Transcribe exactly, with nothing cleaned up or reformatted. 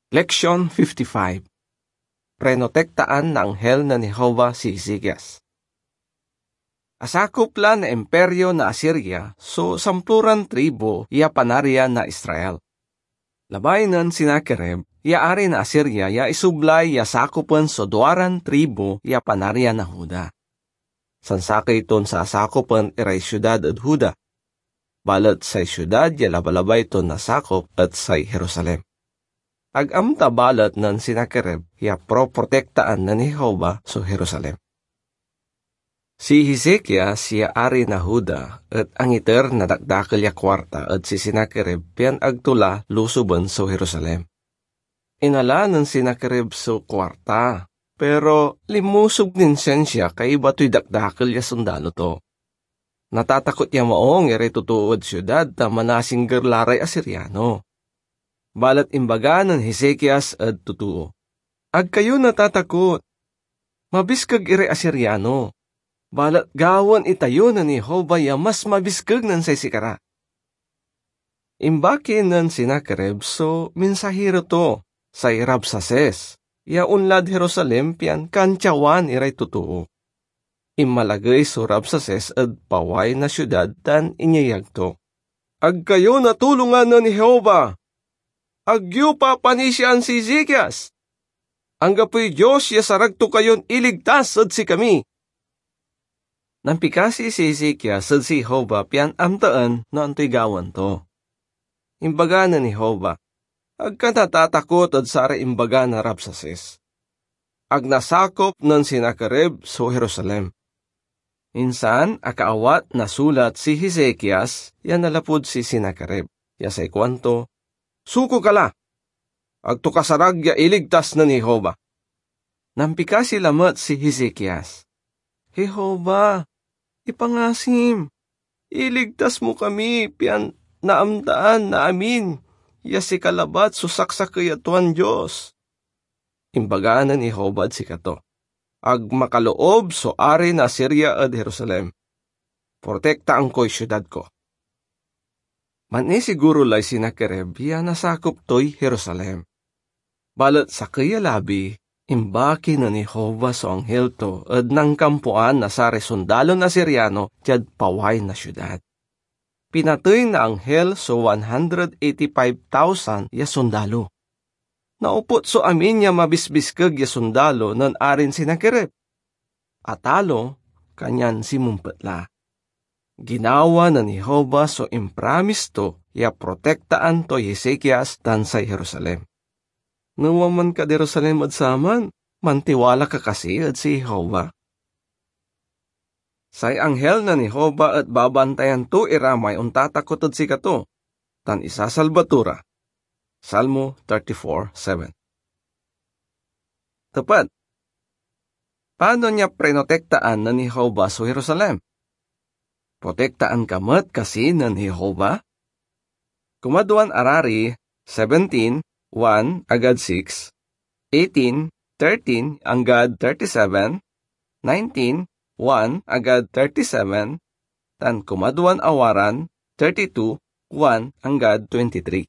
Leksyon fifty-five. Prenotektaan na anghel nen Jehovah si Ezekias. Asakop la na Imperio na Asiria so samploran tribu ya Panarian na Israel. Labay nen Sennacherib ya ari na Asiria ya isublay ya sakopen so duaran tribu ya Panarian na Juda. Sansakey ton sasakopen iray siudad ed Juda, balet say siudad ya labalabay ton nasakop et say Jerusalem. Ag amta balet nen Sennacherib ya proprotektaan nen Jehovah so Jerusalem. Si Ezekias ya ari na Juda et angiter na dakdakel ya kuarta ed si Sennacherib pian ag to la lusoben so Jerusalem. Inala nen Sennacherib so kuarta, pero linmusog nin siansia kaiba toy dakdakel ya sondalo to. Natatakot ya maong iray totoo ed siudad ta manasingger la ray Asiriano. Balet imbaga nen Ezekias ed totoo, "Ag kayo natatakot. Mabiskeg iray Asiriano. Balet gawaen itayo nen Jehovah ya mas mabiskeg nen say sikara." Imbaki nen Sennacherib so minsahiro to, say Rabsaces, ya onlad Jerusalem pian kantiawan iray totoo. Inmalagey so Rabsaces ed paway na siudad tan inyeyag to, "Ag kayo natulongan nen Jehovah! Ag yo papanisiaan si Ezekias! Anggapoy Dios ya sarag to kayon iligtas ed sikami!" Nampikasi si Ezekias ed si Jehovah pian amtaen no antoy gawaen to. Imbaga nen Jehovah, "Ag ka natatakot ed saray imbaga na Rabsaces. Ag nasakop nen Sennacherib so Jerusalem." Insan akaawat na sulat si Ezekias ya nanlapud si Sennacherib, ya say kuanto, "Suko ka la! Ag to kasarag ya iligtas nen Jehovah." Nampikasi lamet si Ezekias, "Jehovah, ipangasim, iligtas mo kami pian naamtaan na amin ya sika labat so saksakey a tuan Dios." Imbaga nen Jehovah ed sikato, "Ag makaloob so ari na Asiria ed Jerusalem. Protektaan koy siudad ko." Manisiguro lay Sennacherib ya nasakop toy Jerusalem. Balet sakey a labi, imbaki nen Jehovah so anghel to ed nankampoan na saray sondalon Asiriano diad paway na siudad. Pinatey na anghel so one hundred eighty-five thousand ya sondalo. Naoput so amin ya mabisbiskeg ya sondalo nen Arin Sennacherib. Atalo, kanyan sinmempet la. Ginawa nen Jehovah so impramis to ya protektaan toy Ezekias tan say Jerusalem. No wanman kad Jerusalem ed saman, mantiwala ka kasi ed si Jehovah? Say anghel nen Jehovah et babantayan to ira may ontatakot ed sikato, tan isasalba to ra. Salmo thirty-four seven. Tepet. Panon ya prinotektaan nen Jehovah so Jerusalem? Protektaan ka met kasi nen Jehovah? Kumadwan Arari seventeen one anggad six, eighteen thirteen anggad thirty-seven, nineteen one anggad thirty-seven, tan kumadwan Awaran thirty-two one anggad twenty-three.